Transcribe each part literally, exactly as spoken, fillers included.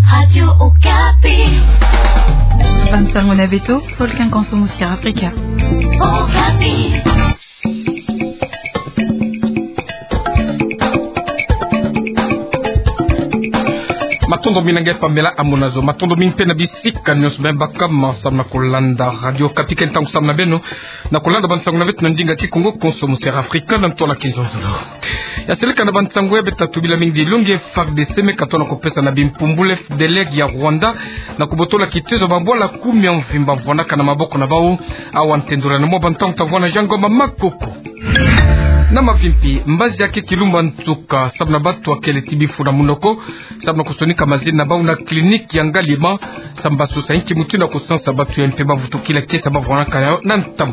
Radio Okapi. Bansango na beto, Volcan Konso Musica Africa. Okapi. Matondo mingi na nge pamela amonazo. Matondo mingi mpe na bisika nyonso beno baka ma samu na kolanda Radio Okapi. Ke ntangu samu na beno na kolanda bansango na beto na ndinga Kikongo, Konso Musica Africa, na ntwala kizololo. Ya seleka na bansango ya beto, tubila mingi dilongi. F A R D C me katona kopesa na bimpumbulu F D L R ya Rwanda na kobotola kitezo babwala kumi ya mvimba vwanaka na maboko na bau. Awa ntendula na mwa bantangu tavwanda na Jean Ngoma Makoko. Na mavimpi, mbazi ya ke kilumba nsuka samu na batu akele ti bifu na munoko, samu na kosonika mazina na bau na clinique ya Ngaliema, samu basusa inki mutindu ya kosansa batu ya mpe bavutukila kiese bavwanaka na yo na ntama.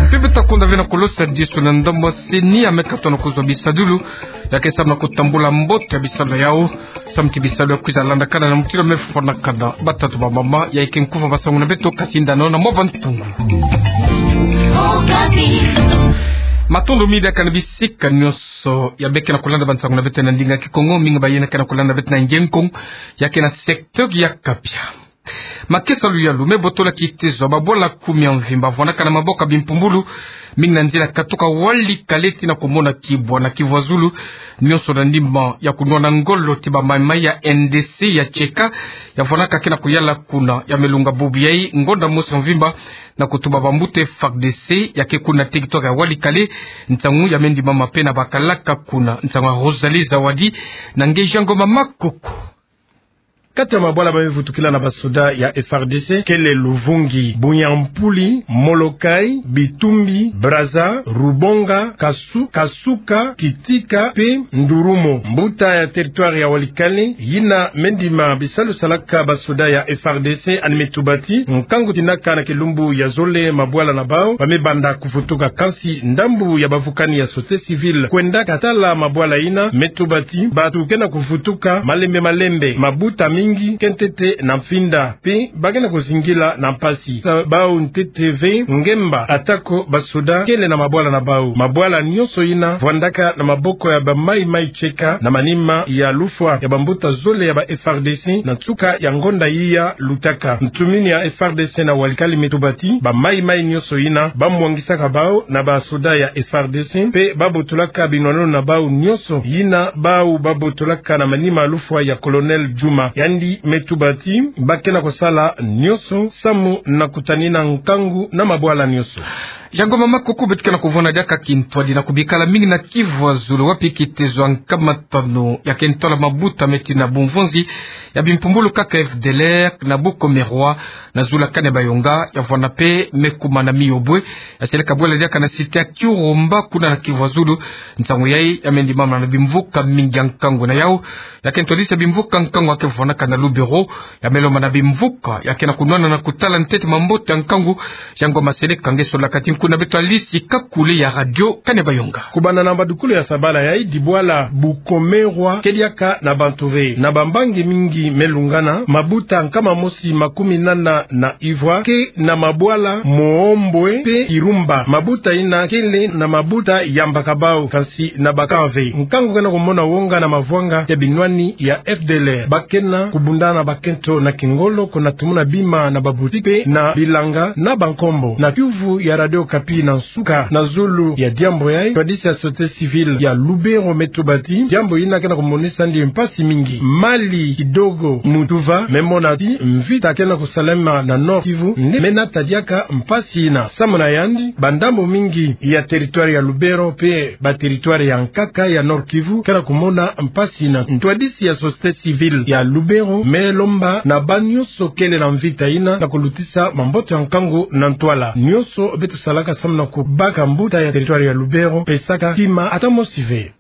Mpe beto ta konda ve na kolosa disu na ndambu ya CENI ya me katona kozwa bisadulu ya ke samu na kotambula mbote ya bisalu na yau, samu ti bisalu ya kwiza landakana na mutindu ya me fwanakana. Batata, bamama, ya ke nkufa basango na beto, kasi ndano na mwa bantungu. Matondo mingi diaka na bisika nyonso ya beno ke na kolanda bansango na beto na ndinga Kikongo, mingi ba yena ke na kolanda beto na Ngenkongo, ya ke na secteur ya Kapia. Makesa luyalu me botola kitezo babwala kumi ya mvimba vwanaka na maboko ya bimpumbulu, mingi na nzila katuka Walikale tii na komona Kibwa na Kivu ya Zulu, nyonso na ndimba ya kunwana ngolo ti bamaimai ya N D C ya Tcheka, ya vwanaka ke na koyala kuna. Ya me longa bubu yai ngonda mosi ya mvimba na kotuba bambuta F A R D C ya ke kuna territoire ya Walikale. Nsangu ya me ndimama mpe na bakalaka kuna. Nsangu ya Rosalie Zawadi na nge Jean Ngoma Makoko. Kati ya mabwala ba me vutukila na basoda ya F A R D C kele Luvungi, Bunyampuli, Molokai, Bitumbi, Brazza, Rubonga, Kasu-, Kasuka, Kitika mpe Ndurumo. Mbuta ya territoire ya Walikale yina me ndima bisalu salaka basoda ya F A R D C, yandi me tuba ti nkangu tinaka na kilumbu ya zole mabwala na bau ba me banda kuvutuka, kansi ndambu ya bavukani ya société civile kwenda katala mabwala yina me tuba ti batu ke na kuvutuka malembe malembe, mabuta mingi ke ntete na mfinda, mpe ba ke na kozingila na mpasi. Sa bau ntete ve ngemba, atako basoda kele na mabwala na bau. Mabwala nyonso yina vwandaka na maboko ya bamaimai Tcheka na manima ya lufwa ya bambuta zole ya ba F A R D C na nsuka ya ngonda yiya lutaka. Ntumini ya F A R D C na Walikale me tuba ti bamaimai nyonso yina ba mwangisaka bau na basoda ya F A R D C, mpe ba botolaka binwananu na bau nyonso yina bau ba botolaka na manima ya lufwa ya Colonel Djuma. Yandi me tuba ti ba ke na kosala nyonso samu na kutanina nkangu na mabwala nyonso. Jean Ngoma Makoko. Beto ke na kuvwanda diaka kintwadi na kubikala mingi na Kivu ya Zulu, wapi kitezo ya nkama tanu ya ke ntwala mabuta meti na bumvunzi ya bimpumbulu kaka F D L R na Bukomerwa na zulu ya Kanyabayonga, ya vwanda mpe me kuma na Miobwe. Ya seleka bwela diaka na cité ya Kirumba kuna na Kivu ya Zulu. Nsangu yai ya me ndimama na bimvuka mingi ya nkangu. Na yau, ya ke ntwadisa bimvuka nkangu ya ke vwanaka na Lubero, ya me lomba na bimvuka ya ke na kunwana na kutala ntete mambote ya nkangu. Jean Ngoma, seleka nge solaka ti nkuna beto Alice Kakule ya Radio Kanyabayonga. Kubanda na mbadukulu ya sabala yai, dibwala Bukomerwa ke diaka na bantu ve, na bambangi mingi me lungana. Mabuta nkama mosi makumi nana na ivwa ke na mabwala Mohombwe mpe Kirumba. Mabuta yina kele na mabuta yambaka bau, kansi na ba camp ve. Nkangu ke na kumona wonga na mavwanga ya binwani ya F D L R. Ba ke na kubunda na bakento na kingolo, kuna tumuna bima na ba boutique mpe na bilanga na bankombo. Na kiuvu ya Radio Okapi na nsuka na zulu ya diambu yai, ntwadisi ya société civile ya Lubero me tuba ti diambu yina ke na kumonisa yandi mpasi mingi. Mali kidogo mu tuva me mona ti mvita ke na kusalama na Nord-Kivu nde me nata diaka mpasi yina. Samu na yandi, bandambu mingi ya territoire ya Lubero mpe ba territoire ya nkaka ya Nord-Kivu ke na kumona mpasi yina. Ntwadisi ya société civile ya Lubero me lomba na banyonso kele na mvita yina na kulutisa mambote ya nkangu na ntwala. Nyonso beto salaka samu na kubaka mbuta ya territoire ya Lubero, pesaka kima ata mosi ve.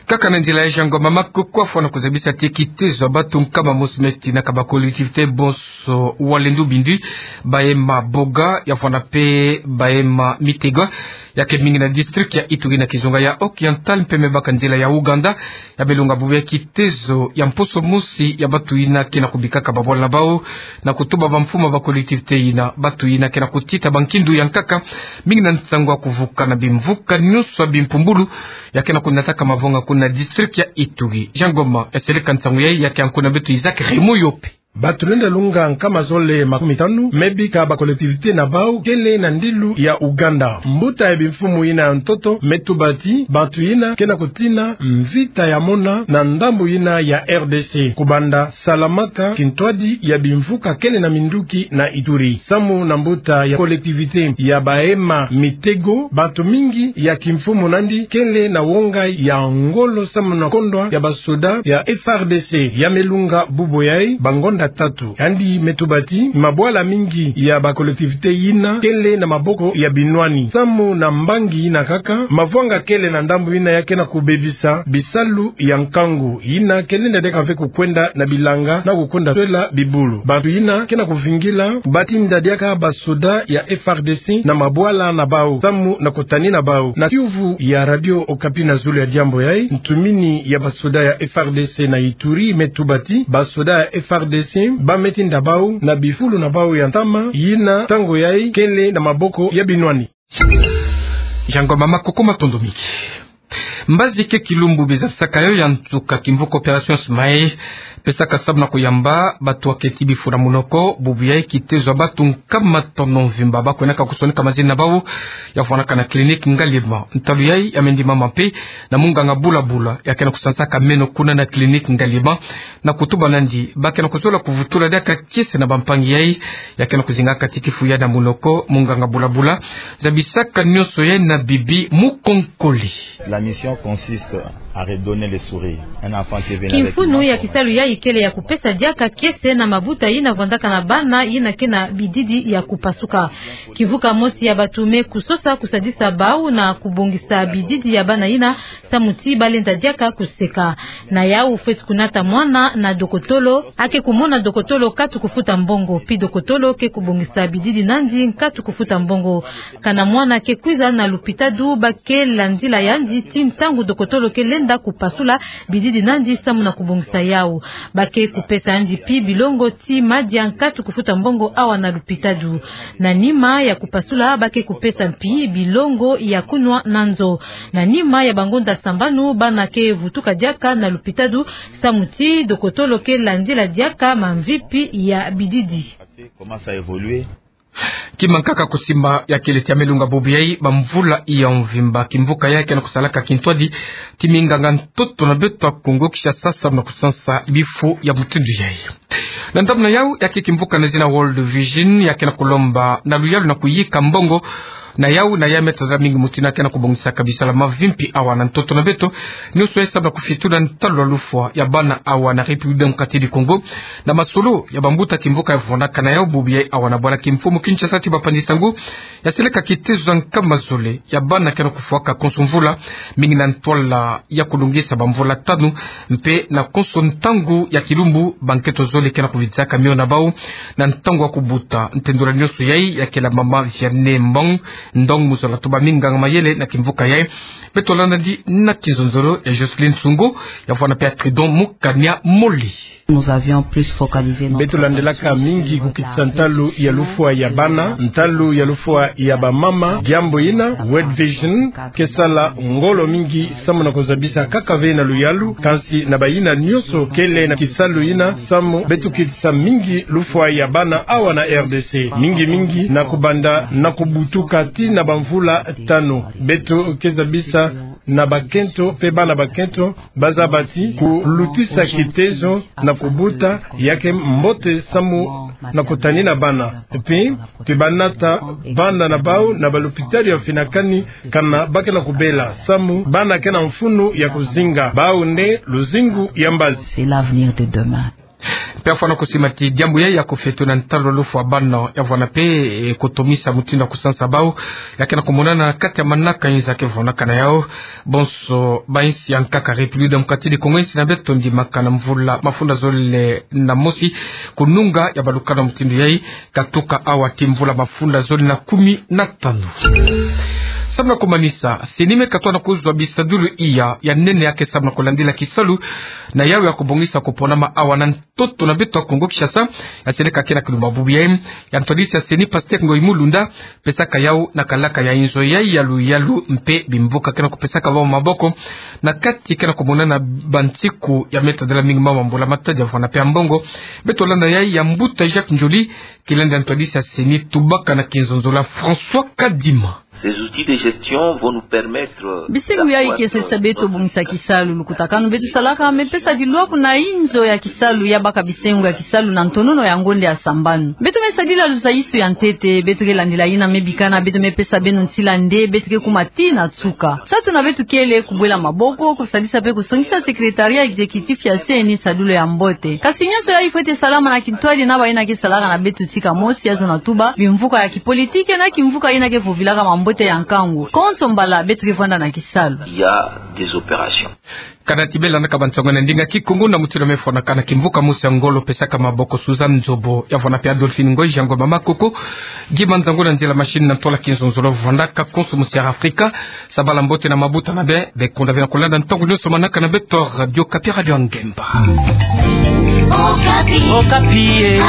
Kaka na nzila yai, Jean Ngoma Makoko afwana kuzabisa ti kitezo ya batu nkama mosi meti na ka ba collectivité bonso, Walendu Bindi, Bahema Boga, ya vwanda mpe Bahema Mitega, ya ke mingi na district ya Ituri na kizunga ya Oriental, mpe me baka nzila ya Ouganda. Ya me longa bubu yai kitezo ya mposo mosi ya batu yina ke na kubikaka babwala na bau, na kutuba bamfumu ya ba collectivité yina, batu yina ke na kutita bankindu ya nkaka, mingi na nsangu ya kuvuka na bimvuka nyonso ya bimpumbulu ya ke na kunataka mavonga kuna na district ya Ituri. Jean Ngoma yaseleka nsangu yai, ya ke anku na beto Isaac Raymond Yope. Bato lenda lunga nkama zole makumi tanu me bika ba collectivité na bau kele na ndilu ya Ouganda. Mbuta ya bimfumu yina ya ntoto me tuba ti bato yina ke na kutina mvita ya mona na ndambu yina ya R D C, kubanda Salamaka, kintwadi ya bimvuka kele na minduki na Ituri. Samu na mbuta ya collectivité ya Bahema Mitego, bato mingi ya kimfumu nandi kele na wonga ya ngolo samu na kondwa ya basoda ya F R D C. Ya me lunga bubu yai bangonda tatu. Yandi me tuba ti mabwala mingi ya ba collectivité yina kele na maboko ya binwani. Samu na mbangi yina kaka, mavwanga kele na ndambu yina ya ke na kubebisa bisalu ya nkangu, yina ke lenda diaka ve kukwenda na bilanga na kukwenda swela bibulu. Bato yina ke na kuvingila batinda diaka basoda ya F R D C na mabwala na bau samu na kutanina bau. Na kiuvu ya Radio Okapi na zulu ya diambu yai, ntumini ya basoda ya F R D C na Ituri me tuba ti basoda ya F R D C ba me tinda bau na bifulu na bau ya ntama, yina ntangu yai kele na maboko ya binwani. Jean Ngoma, makuku matondo mingi. Mbazi ke kilumbu bizabisaka yo ya nsuka kimvuka Opération Smae, pesaka samu na kuyamba bato ya keti bifu na munoko. Bubu yai kitezo ya bato nkama tanu mvimba ba kwenaka kusonika mazina na bau ya vwanaka na clinique Ngaliema. Ntalu yai ya me ndimama mpe na munganga Bulabula ya ke na kusansaka meno kuna na clinique Ngaliema, na kutuba nandi ba ke na kuzola kuvutula diaka kiese na bampangi yai ya ke na kuzinga kati kifu yai na munoko. Munganga Bulabula zabisaka nyonso yai na Bibi Mukonkole. La mission consiste à redonner le sourire. Un enfant qui est venu avec une main. Kimfunu ya kisalu yai kele ya kupesa diaka kiese na mabuta yina vwandaka na bana yina ke na bididi ya kupasuka. Kimvuka mosi ya bato me kusosa kusadisa bau na kubongisa bididi ya bana yina samu ti ba lenda diaka kuseka. Na yau fweti kunata mwana na dokotolo, a ke kumona dokotolo nkatu kufuta mbongo, pi dokotolo ke kubongisa bididi nandi nkatu kufuta mbongo. Kana mwana ke kwiza na lupitadu, ba ke landila yandi ti ntangu dokotolo ke lenda kupasula bididi nandi samu na kubongisa yau. Ba ke kupesa yandi pi bilongo ti madia nkatu kufuta mbongo awa na lupitadu. Na nima ya kupasula, ba ke kupesa mpi bilongo ya kunwa na nzo. Na nima ya bangonda sambanu, bana ke vutuka diaka na lupitadu samu ti dokotolo ke landila diaka mamvipi ya bididi. Comment ça évolue? Kima nkaka kusimba ya kele ti ya me lunga bubu yai bamvula ya mvimba, kimvuka yai ke na kusalaka kintwadi ti minganga ntoto na beto ya Kongo Kinshasa samu na kusansa bifu ya mutindu yai. Na ndambu na yau, ya ke kimvuka na zina World Vision ya ke na kulomba na luyalu na kuyika mbongo na yau na ya me tadala mingi mutindu ya ke na kubongisaka bisalu ya mavimpi awa na ntoto na beto. Nyonso yai samu na kufitula ntalu ya lufwa ya bana awa na République Démocratique du Congo, na masolo ya bambuta kimvuka ya vwanaka na yau bubu yai awa na bwala kimfumu Kinshasa ti bapanzi nsangu. Yaseleka kitezo za nkama zole ya bana ke na kufwaka konso mvula, mingi na ntwala ya kulungisa bamvula tanu, mpe na konso ntangu ya kilumbu, bankento zole ke na kuvidisaka mio na bau na ntangu ya kubuta. Ntendula nyonso yai ya kela mama Vianney Mbong Ndong, mu zola tuba minganga mayele na kimvuka yai. Beto landa nandi na kinzonzolo ya Jocelyne Sungu, ya vwana mpe ya Tridon Mukania Moli. Nous avions plus focalisé notre attention sur le rôle de la mère et de la famille. Beto landelaka mingi kukitisa ntalu ya lufwa ya bana, ntalu ya lufwa ya bamama. Diambu yina, World Vision ke sala ngolo mingi samu na kuzabisa kaka ve na luyalu, kansi na bayina nyonso kele na kisalu yina, samu beto kitisa mingi lufwa ya bana awa na R D C. Mingi mingi na kubanda na kubutuka tii na bamvula tanu. Beto ke zabisa na bakento mpe bana bakento, ba zaba ti kulutisa kitezo na kubuta ya ke mbote samu na kutanina bana. Mpe te banata bana na bau na balupitalu ya mfinakani, kana ba ke na kubela, samu bana ke na mfunu ya kuzinga, bau nde luzingu ya mbazi. C'est l'avenir de demain. Mpe afwana kusima ti diambu yai ya kufeto na ntalu ya lufwa ya bana ya vwana mpe, eh, kutomisa mutindu ya kusansa bau ya ke na kumonana na kati ya manaka nza ke vwanaka na yau. Bonso bainsi ya nkaka République Démocratique du Congo, insi na beto ndimaka na mvula mafunda zole na mosi, kununga ya balukanu ya mutindu yai, katuka awa tii mvula mafunda zole na kumi na tanu. Samu na kumanisa, CENI me katoa na kuzwa bisadulu iya ya nene ya ke samu na kulandila kisalu na yawu ya kubongisa kuponama awa na ntoto na beto ya Kongo Kinshasa, ya sene kake na kilumbu bubu yayi, ya ntwadisi ya CENI Pasteur Ngoyi Mulunda, pesaka yawu na kalaka ya inzo yayi ya luyalu mpe bimvuka ke na kupesaka bau maboko, na kati ke na kumonana bansiku ya me tadila mingi mama mbula matadi ya vwanda mpe ya mbongo. Beto landa yayi ya mbuta Jacques Ndjoli, kilendi ya ntwadisi ya CENI tubaka na kinzonzolo ya François Kadima. Ces outils de gestion vont nous permettre. Bisengo yayi ke sesa beto bongisa kisalu. Lukutakanu beto salaka me pesa dilwaku na inzo ya kisalu ya baka bisengo ya kisalu na ntonono ya ngonde ya sambanu. Beto me sadila luzaisu ya ntete, beto ke landila yina me bikana, beto me pesa beno ntila nde beto ke kuma tii na nsuka. Salu na beto kele kubwela maboko, kusadisa mpe kusongisa secrétariat exécutif ya CENI sadulu ya mbote. Kasi nyonso yayi fwete salama na kintwadi na bayina ke salaka na beto tika mosi, ya zona tuba bimvuka ya kipolitike na kimvuka yina ke vovilaka mambote ya nkangu. Konso mbala beto ke vwanda na kisalu. Il y a des opérations. Kana ti bela na kabansango na ndinga Kikongo na mutindu me fwanakana, kimvuka mosi ya ngolo pesaka maboko Suzanne Nzobo, ya vwanda mpe Adolphine Ngoyi, Jean Ngoma Makoko, Guy Manzango na nzila machine na ntwala kinzonzolo vwandaka konso mu Sierra Africa. Sabala mbote na mabuta na be, be konda bena kulanda ntangu nyonso manaka na beto Radio Okapi, Radio Ngemba. Okapi. Okapi, eh.